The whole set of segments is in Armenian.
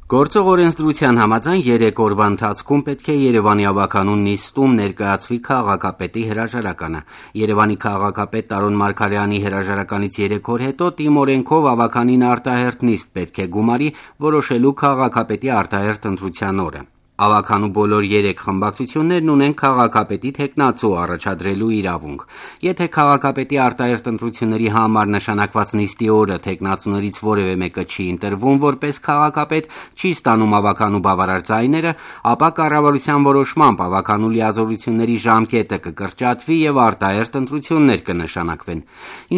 Գործող օրենսդրության համաձայն 3 օրվա ընթացքում պետք է Երևանի ավականուն նիստում ներկայացվի քաղաքապետի հրաժարականը։ Երևանի քաղաքապետ Տարոն Մարգարյանի հրաժարականից 3 օր հետո ՏԻՄ օրենքով ավականին արտահերթ նիստ պետք է գումարի որոշելու քաղաքապետի արտահերթ ընտրության օրը։ Ավականու բոլոր 3 խմբակցություններն ունեն քաղաքապետի թեկնածու առաջադրելու իրավունք։ Եթե քաղաքապետի արտահերթ ընտրությունների համար նշանակված նիստի օրը թեկնածուներից որևէ մեկը չի ընտրվում որպես քաղաքապետ, չի ստանում ավականու բավարար ձայները, ապա կառավարության որոշմամբ ավականու լիազորությունների ժամկետը կկրճատվի եւ արտահերթ ընտրություններ կնշանակվեն։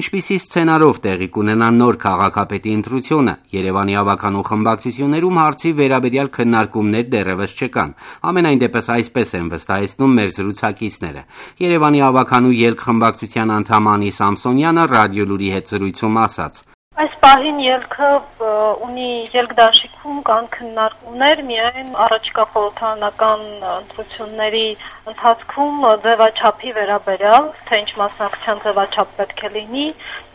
Ինչպիսի սցենարով տեղի կունենա նոր քաղաքապետի ընտրությունը, Երևանի ավականու խմբակցություններում հարցի վերաբերյալ քննարկումներ դեռևս չկան։ Ամենայն դեպս այսպես են վստահեցնում մեր զրուցակիցները։ Երևանի ավականու ելք խմբակցության անդամ Անի Սամսոնյանը ռադիոլուրի հետ զրույցում ասաց. Այս պահին ելքը ունի ելքդաշիքում կան քննարկումներ միայն առաջիկա խորհրդարանական ընտրությունների ընթացքում ձևաչափի վերաբերյալ, թե ինչ մասնակցության ձևաչափ պետք է լինի,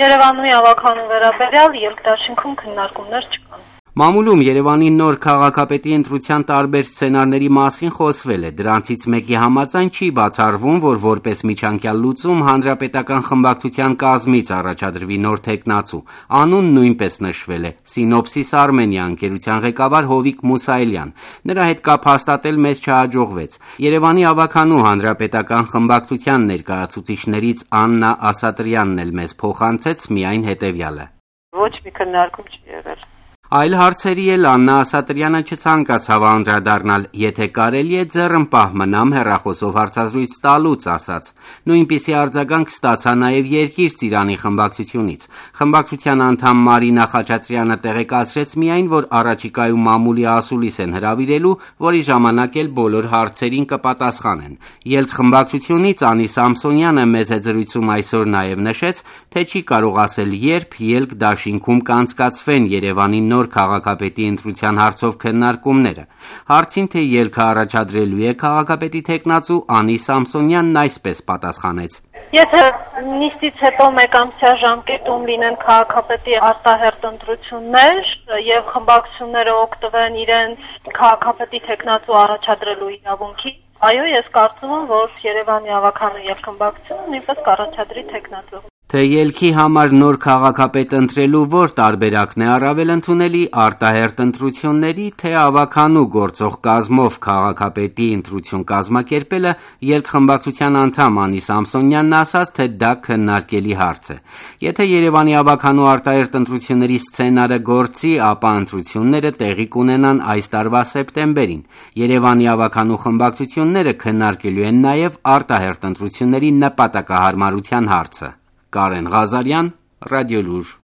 Երևանի ավականու վերաբերյալ ելքդաշինքում քննարկումներ չկան։ Մամուլում Երևանի նոր քաղաքապետի ընտրության տարբեր սցենարների մասին խոսվել է։ Դրանցից մեկի համաձայն չի բացառվում, որ որպես միջանկյալ լուծում հանրապետական խմբակցության կազմից առաջադրվի նոր թեկնածու։ Անուն նույնպես նշվել է՝ Սինոպսիս Արմենիա ընկերության ղեկավար Հովիկ Մուսայելյան։ Նրա հետ կապ հաստատել մեզ չհաջողվեց։ Երևանի ավականու հանրապետական խմբակցության ներկայացուցիչներից Աննա Ասատրյանն էլ մեզ փոխանցեց միայն հետևյալը. Ոչ մի քննարկում չի եղել։ Այլ հարցերի էլ Աննա Ասատրյանը չցանկացավ անդրադառնալ, եթե կարելի է ձեռնպահ մնամ հեռախոսով հարցազրույց տալուց, ասաց։ Նույնպիսի արձագանք ստացա նաև Երկիր Ծիրանի խմբակցությունից։ Խմբակցության անդամ Մարինա Խաչատրյանը տեղեկացրեց միայն, որ առաջիկայում մամուլի ասուլիս են հրավիրելու, որի ժամանակ էլ բոլոր հարցերին կպատասխանեն։ Ելք խմբակցությունից Անի Սամսոնյանը մեծ զրույցում այսօր նաև նշեց, թե չի կարող ասել երբ ելք դաշինքում կանցկացվեն Երևանի նոր քաղաքապետի ընտրության հարցով քննարկումները։ Հարցին, թե ելքը առաջադրելու է քաղաքապետի թեկնածու, Անի Սամսոնյանն այսպես պատասխանեց. Եթե նիստից հետո մեկամսյա ժամկետում լինեն քաղաքապետի արտահերթ ընտրություններ եւ խմբակցությունները օգտվեն իրենց քաղաքապետի թեկնածու առաջադրելու իրավունքից, այո, ես կարծում եմ, որ Երևանի ավականու եւ խմբակցությունը նույնպես կառաջադրի թեկնածու։ Թե ելքի համար նոր քաղաքապետ ընտրելու որ տարբերակն է առավել ընդունելի՝ արտահերթ ընտրությունների, թե ավականու գործող կազմով քաղաքապետի ընտրություն կազմակերպելը, ելք խմբակցության անդամ Անի Սամսոնյանն ասաց, թե դա քննարկելի հարց է։ Եթե Երևանի ավականու արտահերթ ընտրությունների սցենարը գործի, ապա ընտրությունները տեղի կունենան այս տարվա սեպտեմբերին։ Երևանի ավականու խմբակցությունները քննարկելու են նաև արտահերթ ընտրությունների նպատակահարմարության հարցը։ Կարեն Ղազարյան, Ռադիոլուր։